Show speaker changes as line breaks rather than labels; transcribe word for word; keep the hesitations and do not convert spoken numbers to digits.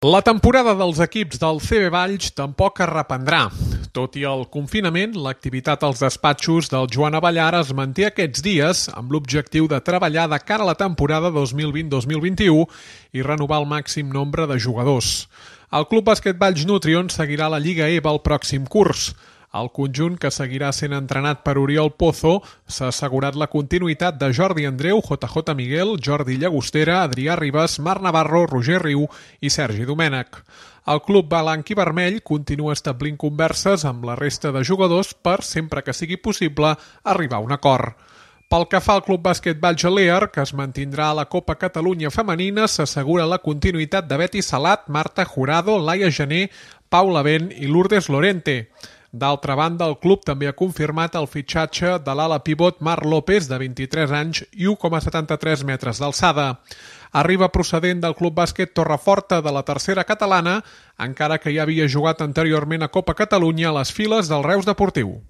La temporada dels equips del C B Valls tampoc es reprendrà. Tot i el confinament, l'activitat als despatxos del Joan Abellar es manté aquests dies amb l'objectiu de treballar de cara a la temporada dos mil vint dos mil vint-i-u i renovar el màxim nombre de jugadors. El Club Bàsquet Valls Nutrion seguirà la Lliga E B A el pròxim curs. El conjunt, que seguirà sent entrenat per Oriol Pozo, s'ha assegurat la continuïtat de Jordi Andreu, J J Miguel, Jordi Llagostera, Adrià Ribas, Marc Navarro, Roger Riu i Sergi Domènech. El club blanc i vermell continua establint converses amb la resta de jugadors per, sempre que sigui possible, arribar a un acord. Pel que fa al Club Bàsquet Valls Alear, que es mantindrà a la Copa Catalunya Femenina, s'assegura la continuïtat de Betty Salat, Marta Jurado, Laia Gené, Paula Ben i Lourdes Lorente. D'altra banda, el club també ha confirmat el fitxatge de l'ala pivot Marc López, de vint-i-tres anys i u coma setanta-tres metres d'alçada. Arriba procedent del Club Bàsquet Torreforta de la tercera catalana, encara que ja havia jugat anteriorment a Copa Catalunya a les files del Reus Deportiu.